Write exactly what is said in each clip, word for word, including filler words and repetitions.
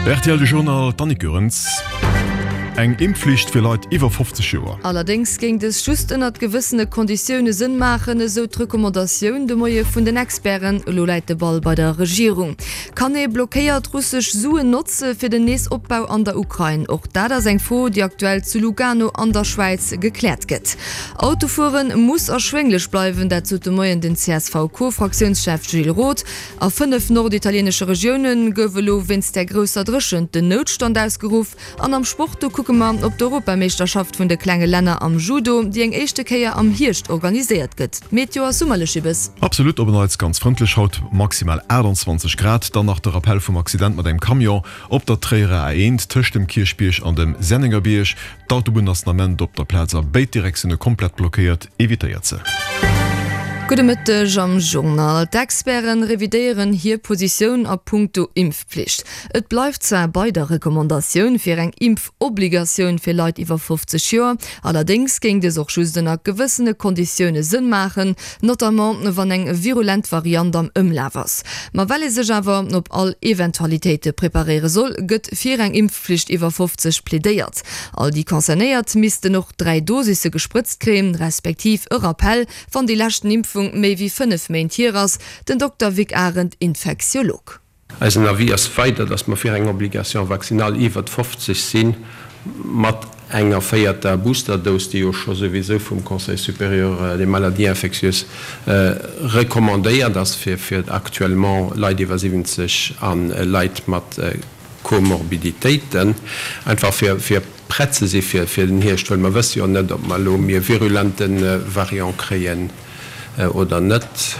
Rtl de Journal, d'Annick Goerens. Eng Impfflicht fir Leit iwwer fofzeg Joer. Allerdéngs géing dës just ënnert gewëssene Konditioune Sënn maachen, esou d'Recommandatioun de Moie vun den Experten. Elo läit de Ball bei der Regierung. Kann ee blockéiert russesch Suen notze fir den Neesopbau an der Ukrain? Och dat ass eng Fro, déi aktuell zu Lugano an der Schwäiz gekläert gëtt. Autofuere muss erschwénglech bleiwen, dat sot de Moien den C S V-Co-Fraktiounschef Gilles Roth. A fënnef norditalienesche Regioune gouf elo wéinst der grousser Dréchent den Noutstand ausgeruff. An am Sport, do kucke mer op d'Europameeschterschaft vun de klenge Länner am Judo, déi eng éischte Kéier am Hierscht organiséiert gëtt. D'Meteo ass summerlech, Ibes. Absolut, op en Neits ganz frëndlech haut, maximal aachtanzwanzeg Grad. Dann nach de Rappell vum Accident mat engem Camion op der Tréierer A eent tëscht dem Kierchbierg an dem Sennengerbierg. D'Autobunn ass den Ament op der Plaz a béid Direktioune komplett blockéiert, evitéiert se. Gudde Mëtteg am Journal. D'Experten revidéieren hir Positioun a punkto Impfpflicht. Et bleift zwar bei der Recommandatioun fir eng Impfobligatioun fir Leit iwwer fofzeg Joer, allerdéngs géing dës och just ënner gewëssene Konditioune Sënn maachen, notamment wann eng virulent Variant am Ëmlaf ass. Ma well ee sech awer op all Eventualitéite preparéiere soll, gëtt fir eng Impfflicht iwwer fofzeg plädéiert. All déi Concernéiert missten och dräi Dosisse gesprëtzt kréien, respektiv e Rappell, wann déi leschten Impfung méi wéi fënnef Méint hier ass, den Dokter Vic Arendt, Infektiolog. Eisen Avis ass weider, dass mer fir eng Obligation vaccinale iwwert fofzeg sinn, mat enger véierter Boosterdose, déi jo scho souwisou vum Conseil supérieur des maladies infectieuses recommandéiert ass fir actuellement Leit iwwer siwwenzeg a Leit mat Komorbiditéiten, einfach fir prett ze si fir den Hierscht, well mer wësse jo net, ob mer elo méi e virulente Variant kréien oder net.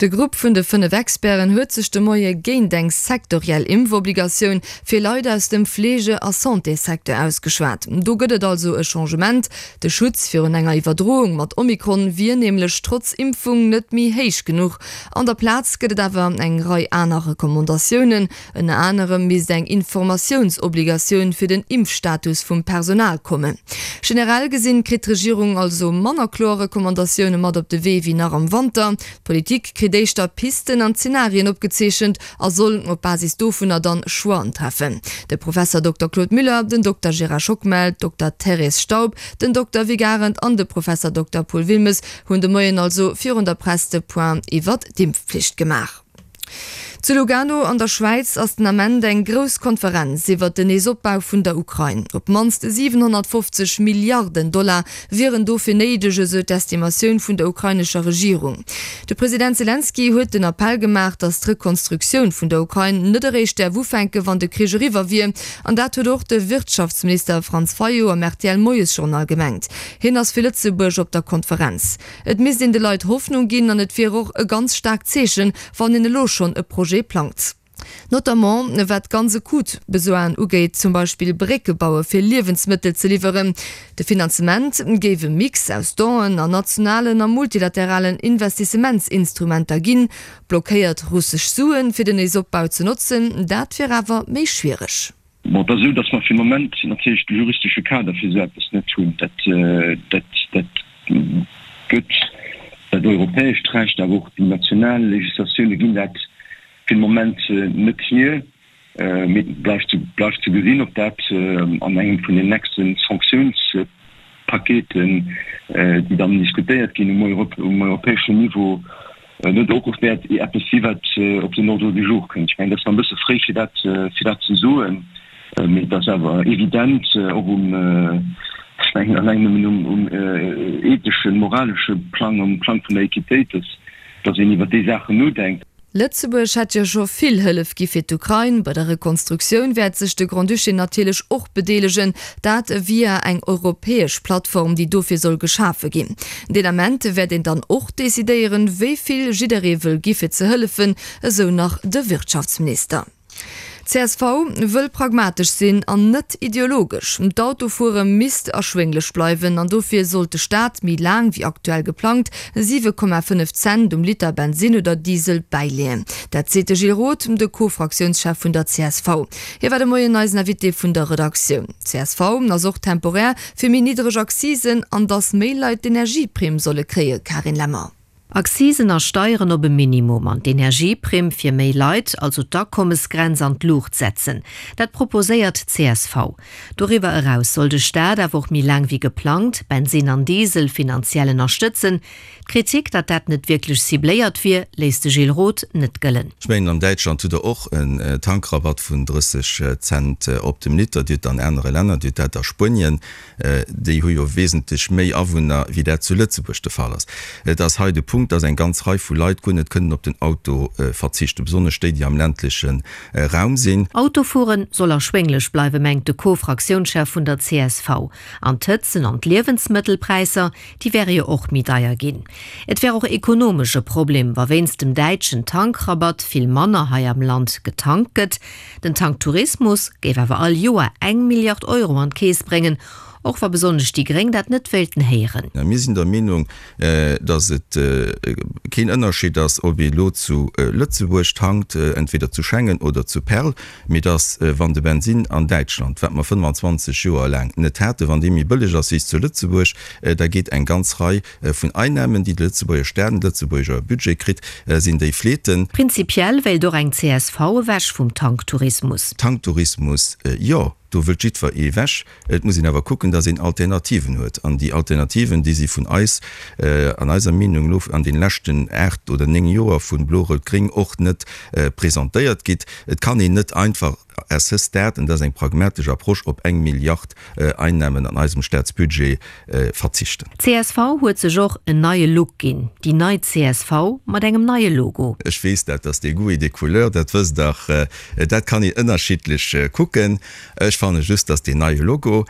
De Grupp vun de fënnef Experten huet sech de Moie géint eng sektoriell Impfobligatioun fir Leit aus dem Fleege a Santéssecteur ausgeschwat. Do gëtt et also e Changement. De Schutz virun enger Iwwerdroung mat Omikron wier nämlech trotz Impfung net méi héich genuch. An der Plaz gëtt et awer eng Rei aner Recommandatiounen. Ënner anerem misst eng Informatiounsobligatioun fir den Impfstatus vum Personal kommen. Generell gesinn kritt d'Regierung also manner kloer Recommandatioune mat op de Wee wéi nach am Wanter. D'Politik kritt éischter Pisten an Zenarien opgezeechent a soll op Basis dovunner dann Choixen treffen. De Professer Dokter Claude Muller, den Dokter Gérard Schockmel, d'Dokter Thérèse Staub, den Dokter Vic Arendt an de Professer Dokter Paul Wilmes hunn de Moien also virun der Press de Point iwwert d'Impfpflicht gemaach. Zu Lugano an der Schwäiz ass den Ament eng grouss Konferenz iwwert den Neesopbau vun der Ukrain. Op d'mannst siwenhonnertfofzeg Milliarden Dollar wieren dofir néideg, esou d'Estimatioun vun der ukrainescher Regierung. De President Selenskyj huet den Appell gemaach, datt d'Rekonstruktioun vun der Ukrain net eréischt däerf ufänken, wann de Krich eriwwer wier. An dat huet och de Wirtschaftsminister Franz Fayot am R T L-Moiesjournal gemengt. Hien ass fir Lëtzebuerg op der Konferenz. Et misst een de Leit Hoffnung ginn an et wier och e ganz staarkt Zeechen, wann een elo schonn e Projet plangt. Notamment wat ganz akut Besoinen ugeet, zum Beispill Brécke baue fir Liewensmëttel ze liwweren. De Finanzement géif e Mix aus Donen an nationalen a multilateralen Investissementsinstrumenter ginn. Blockéiert russesch Suen fir den Neesopbau ze notzen, dat wier awer méi schwiereg. Bon, et ass esou, datt mer fir de Moment natierlech de juristesche Kader fir esou eppes net hunn. Dat, dat, dat gëtt dat europäescht Recht, awer och déi national Législatioune ginn dat fir de Moment net hier. Mee et bleift ze, bleift ze gesinn, ob dat an engem vun den nächste Sanktionspaketen, déi dann diskutéiert ginn um, um europäeschen Niveau, net och wäert eppes si wat op den Ordre du jour kënnt. Ech mengen, dat ass nach e bësse fréi fir dat, fir dat ze soen, mee et ass awer evident och um, ech mengen alleng nëmmen um, um etheschen, moralesche Plang, um Plang vun der Equitéit, dass, dass een iwwer déi Saachen nodenkt. Lëtzebuerg hätt jo scho vill Hëllef gi fir d'Ukrain. Bei der Rekonstruktioun wäert sech de Grand-Duché natierlech och bedeelegen, dat via eng europäesch Plattform, déi dofir soll geschafe ginn. Deen Ament wäert een dann och decidéieren, wéi vill jidderee wëll gi fir ze hëllefen, esou nach de Wirtschaftsminister. C S V wëll pragmatesch sinn an net ideologesch. D'Autofuere misst erschwénglech bleiwen an dofir sollt de Staat méi laang wéi aktuell geplangt siwe Komma fënnef Cent um Liter Bensinn oder Diesel bäileeën. Dat seet de Gilles Roth, de Co-Fraktiounschef vun der C S V. Hie war de Moien eisen Invité vun der Redaktioun. C S V ass och temporär fir méi niddreg Accisen an datt méi Leit d'Energieprimm solle kréien. Carine Lemmer. Accisen a Steieren op e Minimum an d'Energieprimm fir méi Leit, also d'Akommesgrenz an d'Luucht setzen. Dat proposéiert d'CSV. Doriwwer eraus soll de Staat awer och méi laang wéi geplangt Bensinn an Diesel finanziell ënnerstëtzen. D'Kritik, datt dat net wierklech cibléiert wier, léisst de Gilles Roth net gëllen. Ech mengen, an Däitschland hutt Der och en Tankrabatt vun drësseg Cent op dem Liter. Dir hutt an anere Länner, Dir hutt dat a Spuenien, déi hu jo wesentlech méi Awunner, wéi dat zu Lëtzebuerg de Fall ass. Et ass hei de Punkt, dass eng ganz Rei vu Leit guer net kënnen op den Auto verzichten, besonnesch déi, déi am ländleche Raum sinn. Autofuere soll erschwénglech bleiwen, mengt de Co-Fraktiounschef vun der csv. An d'Hëtzen an d'Liewensmëttelpräisser, déi wäre jo och méi deier ginn. Et wär och ekonomesch e Problem, wa wéinst dem däitschen Tankrabatt vill manner hei am Land getankt gëtt. Den Tanktourismus géif awer all Joer eng Milliard Euro an d'Keess bréngen, och wa besonnesch déi Gréng dat net wéilten héieren. Mir sinn der Meenung, datt et keen Ënnerscheed ass, ob ee elo zu Lëtzebuerg tankt, entweder zu Schengen oder zu Perl, mee datt, wann de Bensinn an Däitschland, wat mer fënnfanzwanzeg Joer laang net haten, wann dee méi bëlleg ass wéi zu Lëtzebuerg, da geet eng ganz Rei vun Einnahmen, déi de Lëtzebuerger Staat, den Lëtzebuerger Budget kritt, sinn déi fleeten. Prinzipiell wéilt och eng csv ewech vum Tanktourismus. Tanktourismus, jo, do wëllt jiddwer ee ewech. Et muss een awer kucken, datt een Alternativen huet. An déi Alternativen, déi si vun eis, an eiser Meenung no, an deene leschten aacht oder néng Joer vu Blo-Rout-Gréng och net presentéiert gitt. Et kann een net einfach à ce stade, an dat ass eng pragmatesch Approche, op eng Milliard Einnahmen an eisem Staatsbudget verzichten. Csv huet sech och en neie Look ginn, déi nei csv mat engem neie Logo. Ech weess dat ass des goûts et des couleurs, dat wësst Der, dat kann een ënnerschiddlech kucken. Ech fanne just, dass deen neie Logo,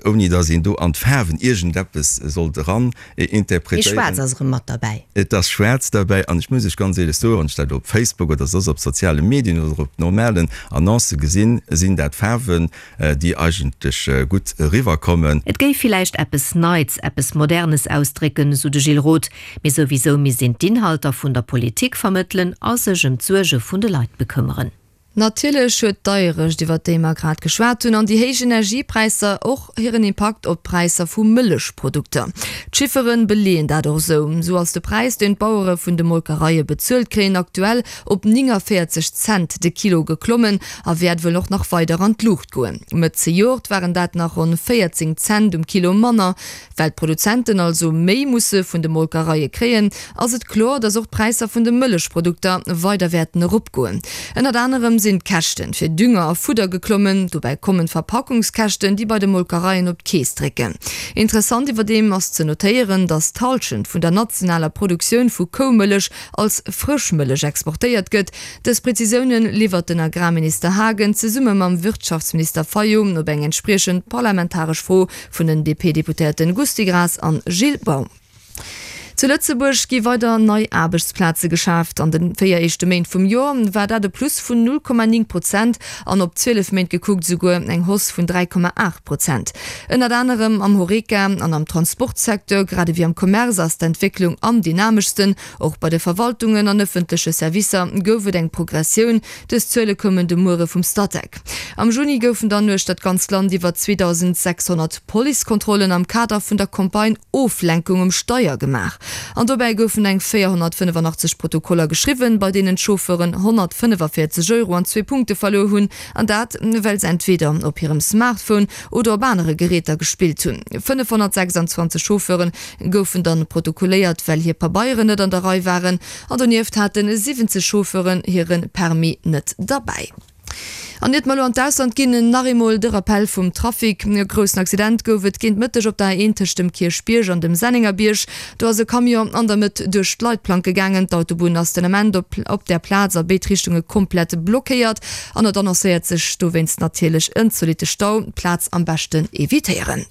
ouni dass een do an d'Faarwen iergendeppes sollt eran Mee interpretéieren. schwaarz ass erëm mat derbäi. Et ass schwaarz derbäi an ech muss Iech ganz éierlech soen, wann ech dat op Facebook oder soss op soziale Medien oder op normalen Annoncë gesinn, sinn dat Faarwen, déi eigentlech gutt eriwwerkommen. Et géif villäicht eppes Neits, eppes Modernes ausdrécken, sou de Gilles Roth, mee souwisou misst een d'Inhalter vun der Politik vermëttelen a sech ëm d'Suerge vun de Leit bekëmmeren. Natierlech huet d'Deierecht, iwwert déi mer grad geschwat hunn, an déi héich Energiepräisser och hiren Impakt op d'Präisser vu Mëllechprodukter. D'Chiffere beleeën dat och esou. Esou ass de Präis, deen d'Bauere vun de Molkereie bezuelt kréien, aktuell op néngavéierzeg Cent de Kilo geklommen a wäert wuel och nach weider an d'Luucht goen. Mëtt zejoert waren dat nach ronn véierzéng Cent um Kilo manner. Well d'Produzenten also méi musse vun de Molkereie kréien, ass et kloer, datt och d'Präisser vun de Mëllechprodukter weider wäerten eropgoen. Ënnert anerem sinn d'Käschte fir Dünger a Fudder geklommen. Dobäi kommen d'Verpackungskäschten, déi bei de Molkereien op d'Keess drécken. Interessant iwwerdeem ass ze notéieren, datt d'Hallschent vun der nationaler Produktioun vu Koumëllech als Frëschmëllech exportéiert gëtt. Dës Prezisioune liwwert den Agrarminister Haagen zesumme mam Wirtschaftsminister Fayot op eng entspriechend parlamentaresch Fro vun den D P-Deputéierten Gusty Graas an Gilles Baum. Zu Lëtzebuerg gi weider nei Aarbechtsplaze geschaaft. An de véier éischte Méint vum Joer war dat e Plus vun null Komma néng Prozent an op zwielef Méint gekuckt esouguer eng Hausse vun dräi Komma aacht Prozent. Ënnert anerem am Horeca an am Transportsecteur, grad ewéi am Commerce ass d'Entwécklung am dynameschsten. Och bei de Verwaltungen an ëffentleche Servicer gouf et eng Progressioun. Dës Zuele koumen de Muere vum Statec. Am Juni goufen dann uechter d'ganzt Land iwwer zweedausendsechshonnert Policekontrollen am Kader vun der Campagne Oflenkung um Steier gemaach. An dobäi goufen eng véierhonnertfënnefanachtzeg Protokoller geschriwwen, bei deenen d'Chauffeuren honnertfënnefavéierzeg Euro an zwee Punkte verluer hunn, an dat well se entweeder op hirem Smartphone oder op anere Geräter gespillt hunn. fënnefhonnertsechsanzwanzeg Chauffeure goufen dann protokolléiert, well hir Pabeieren net an der Rei waren, an donieft hate siwwenzeg Chauffeuren hire Permis net derbäi. An iert mer elo an d'Ausland ginn, nach eemol de Rappell vum Trafic. E groussen Accident gouf et géint Mëtteg op der A eent tëscht dem Kierchbierg an dem Sennengerbierg. Do ass e Camion an der Mëtt duerch d'Leitplanke gaangen. D'Autobunn ass den Ament op op där Plaz a béid Richtunge komplett blockéiert an et annoncéiert sech dowéinst natierlech en zolitte Stau. D'Plaz am beschten evitéieren.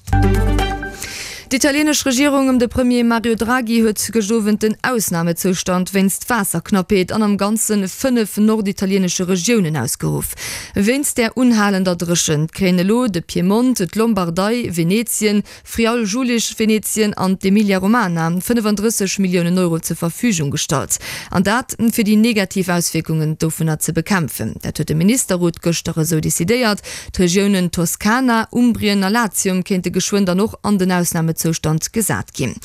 D'italieenesch Regierung ëm de Premier Mario Draghi huet gëscht Owend den Ausnamezoustand wéinst Waasserknappheet an am Ganze fënnef norditalieenesche Regiounen ausgeruff. Wéinst där unhalender Dréchent kréien elo de Piemont, d'Lombardei, Venetien, Friaul-Julisch-Venetien an d'Emilia-Romana fënnefandrësseg Milliounen Euro zur Verfügung gestallt. An dat, fir déi negativ Auswierkungen dovunner ze bekämpfen. Dat huet de Ministerrot gëschter esou decidéiert. D'Regiounen Toskana, Umbrien a Latium kéinte geschwënn dann och an den Ausnamezoustand Ausnamezoustand gesat ginn.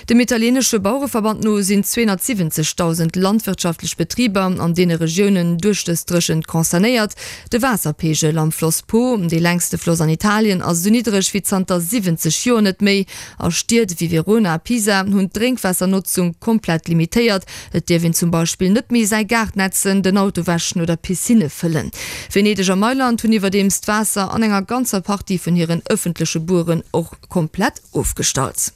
Dem italienesche Bauereverband no sinn zweehonnertsiwwenzegdausend landwirtschaftlech Betriber an deene Regiounen duerch dës Dréchent concernéiert. De Waasserpeegel am Floss Po, dee längste Floss an Italien, ass esou niddreg wéi zanter siwwenzeg Joer net méi. A Stied wéi Verona a Pisa hunn d'Drénkwaassernotzung komplett limitéiert. Et dierf een zum Beispill net méi säi Gaart nätzen, den Auto wäschen oder Piscinne fëllen. Venedeg a Mailand hunn iwwerdeems d'Waasser an enger ganzer Partie vun hiren ëffentleche Bueren och komplett ofgestallt.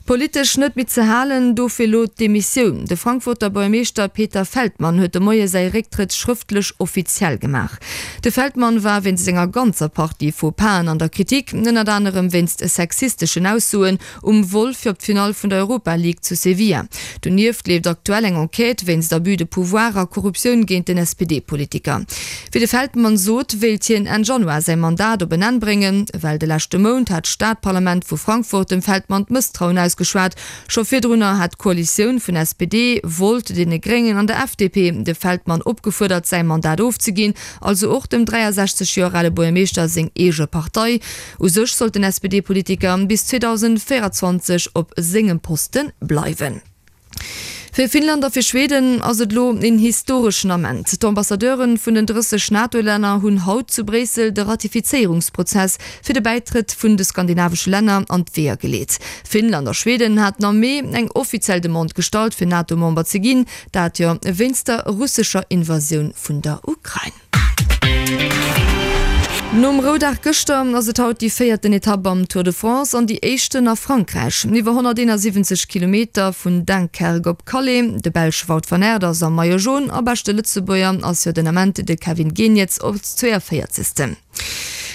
Politesch net méi ze halen, dofir elo d'Demissioun. De Frankfurter Buergermeeschter Peter Feldmann huet de Moie säi Récktrëtt schrëftlech offiziell gemaach. De Feldmann war wéinst enger ganzer Partie Faux-Pasen an der Kritik, ënnert anerem wéinst sexisteschen Aussoen um Vol fir op d'Finall vun der Europa League zu Sevilla. Donieft leeft aktuell eng Enquête wéinst Abus de pouvoir a Korruptioun géint den S P D-Politiker. Wéi de Feldmann sot, wéilt hien Enn Januar säi Mandat op en Enn bréngen. Well de leschte Mount hat d'Stadparlament vu Frankfurt dem Feldmann d'Mësstrauen ausgeschwat. Scho virdrunner hat d'Koalitioun vun S P D, Volt, deene Gréngen an der F D P de Feldmann opgefuerdert, säi Mandat ofzeginn, also och dem dräiasechzeg Joer ale Buergermeeschter seng eege Partei. U sech sollt den S P D-Politiker bis zweedausendvéierenzwanzeg op sengem Poste bleiwen. Fir Finnland a fir Schweden ass et elo een historeschen Ament. D'Ambassadeure vun den drësseg NATO-Länner hunn haut zu Bréissel de Ratifizéierungsprozess fir de Bäitrëtt vun de skandinavesche Länner an d'Weeër geleet. Finnland a Schweden haten am Mee eng offiziell Demande gestallt, fir NATO-Member ze ginn, dat jo wéinst der russescher Invasioun vun der Ukrain. Nom Roudag gëschter ass et haut déi véierten Etapp am Tour de France an déi éischten a Frankräich. Iwwer honnerteenasiwwenzeg Kilometer vun Dunkerque op Calais. De Belsch Wout van Aert ass am Maillot jaune a beschte Lëtzebuerger ass jo den Ament de Kevin Geniets op zwéiavéierzegsten.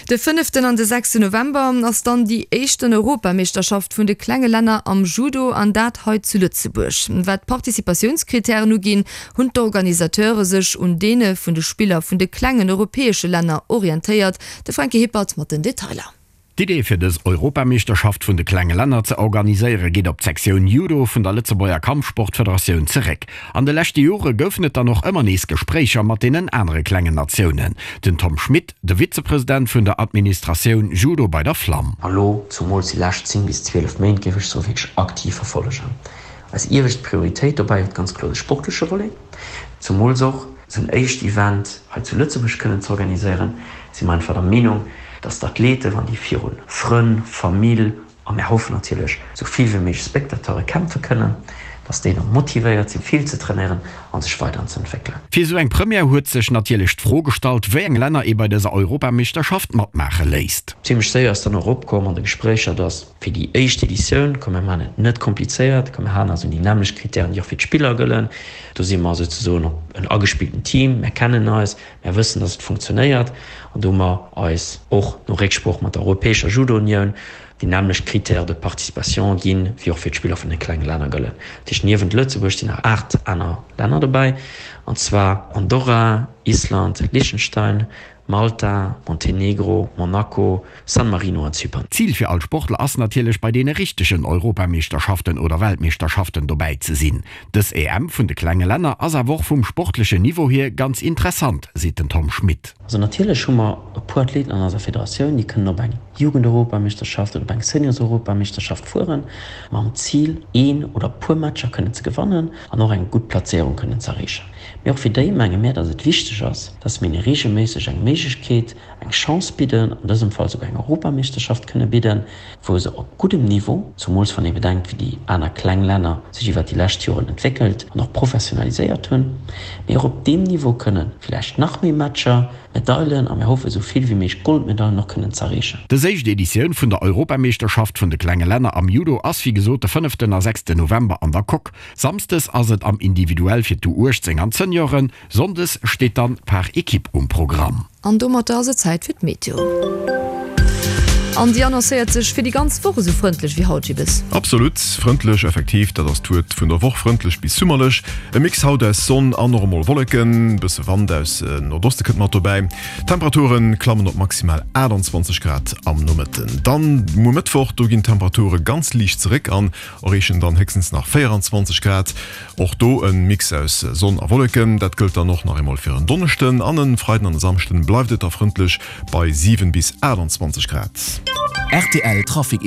De fënneften an de sechsten November ass dann déi éischten Europameeschterschaft vun de klenge Länner am Judo an dat hei zu Lëtzebuerg. Wat d'Participatiounskritären uginn, hunn d'Organisateure sech un deene vun de Spiller vun de klengen europäesche Länner orientéiert. De Franky Hippert mat den Detailer. D'Idee fir dës Europameeschterschaft vun de klenge Länner ze organiséiere geet op d'Sektioun Judo vun der Lëtzebuerger Kampfsportfederatioun zeréck. An de leschte Jore goufen et dann och ëmmer nees Gespréicher mat deenen anere klengen Natiounen. Den Tom Schmit, de Vizepresident vun der Administratioun Judo bei der Flam. A lo, zumools déi lescht zéng bis zwielef Méint, géif ech soen, wierklech aktiv verfollegen. Eis iewescht Prioritéit dobäi huet ganz kloer de sportleche Volet, zumools och esou en éischt Event hei zu Lëtzebuerg kënnen ze organiséieren, si mer einfach der Meenung, dass d'Athleten, wann déi viru Frënn, Famill a mir hoffen natierlech esou vill wéi méiglech Spectateure kämpfe kënnen, dass déi da motivéiert sinn, vill ze trainéieren a sech weider ze entwéckelen. Fir esou eng Première huet sech natierlech d'Fro gestallt, wéi eng Länner ee bei dëser Europameeschterschaft matmaache léisst. Zimlech séier ass dann och opkomm an de Gespréicher, dass fir déi éischt Editioun, komm mir maachen et net komplizéiert, komm mir halen eis un déi nämmlecht Krittären, déi och fir d'Spiller gëllen, do si mer souzesoen och en agespillten Team, mir kennen eis, mir wëssen, dass et funktionéiert an do hu mer eis och no Récksprooch mat der Europäescher Judo-Unioun déi nämmlecht Critères de participation ginn, wéi och fir d'Spiller vun de klenge Länner gëllen. Dat heescht, niewent Lëtzebuerg sinn nach aacht aner Länner dobäi, an zwar Andorra, Island, Liechtenstein, Malta, Montenegro, Monaco, San Marino an Zypern. D'Zil fir all Sportler ass natierlech, bei deene richtegen Europameeschterschaften oder Weltmeeschterschaften dobäi ze sinn. Dës E M vun de klenge Länner ass awer och vum sportlechen Niveau hier ganz interessant, seet den Tom Schmit. Also natierlech hu mer e puer Athleten an eiser Federatioun, déi kënnen op eng Jugendeuropameeschterschaft oder op eng Seniors-Europameeschterschaft fueren, mam Zil een oder puer Matcher kënnen ze gewannen an och eng gutt Plazéierung kënnen ze erreechen. Mee och fir déi menge mär, dass et wichteg ass, dass mir hinne reegelméisseg eng Méiglechkeet, eng Chance bidden, an dësem Fall souguer eng Europameeschterschaft kënne bidden, wou se op guddem Niveau, zumools wann ee bedenkt, wéi déi aner kleng Länner sech iwwert déi lescht Joren entwéckelt an och professionaliséiert hunn, mee och op deem Niveau kënne villäicht nach méi Matcher, Medailen a mir hoffe sou vill wéi méiglech Goldmedailen och kënnen z'erreechen. Dës éischt Editioun vun der Europameeschterschaft vun de klenge Länner am Judo ass wéi gesot de fënneften a sechsten November an der Coque. Samsdes ass et am Individuell fir d'U uechtzéng an d'Senioren, sonndes steet dann par équipe um Programm. An domatter ass et Zäit fir d'Meteo. An déi annoncéiert sech fir déi ganz Woch esou frëndlech wéi haut, Gibbes. Absolut frëndlech, effektiv, dat ass d'Wuert vun der Woch, frëndlech bis summerlech. E Mix haut aus Sonn an och emol Wolleken, bësse Wand aus Nordoste kënnt mat dobäi. D'Temperature klammen op maximal aachtanzwanzeg Grad am Nomëtten. Dann muer Mëttwoch, do ginn d'Temperature ganz liicht zeréck an erreechen dann héchstens nach véieranzwanzeg Grad. Och do e Mix aus Sonn a Wolleken. Dat gëllt dann och nach eemol fir en Donneschden an e Freiden an e Samschden bleift et da frëndlech bei siwen bis aachtanzwanzeg Grad. Rtl Trafic.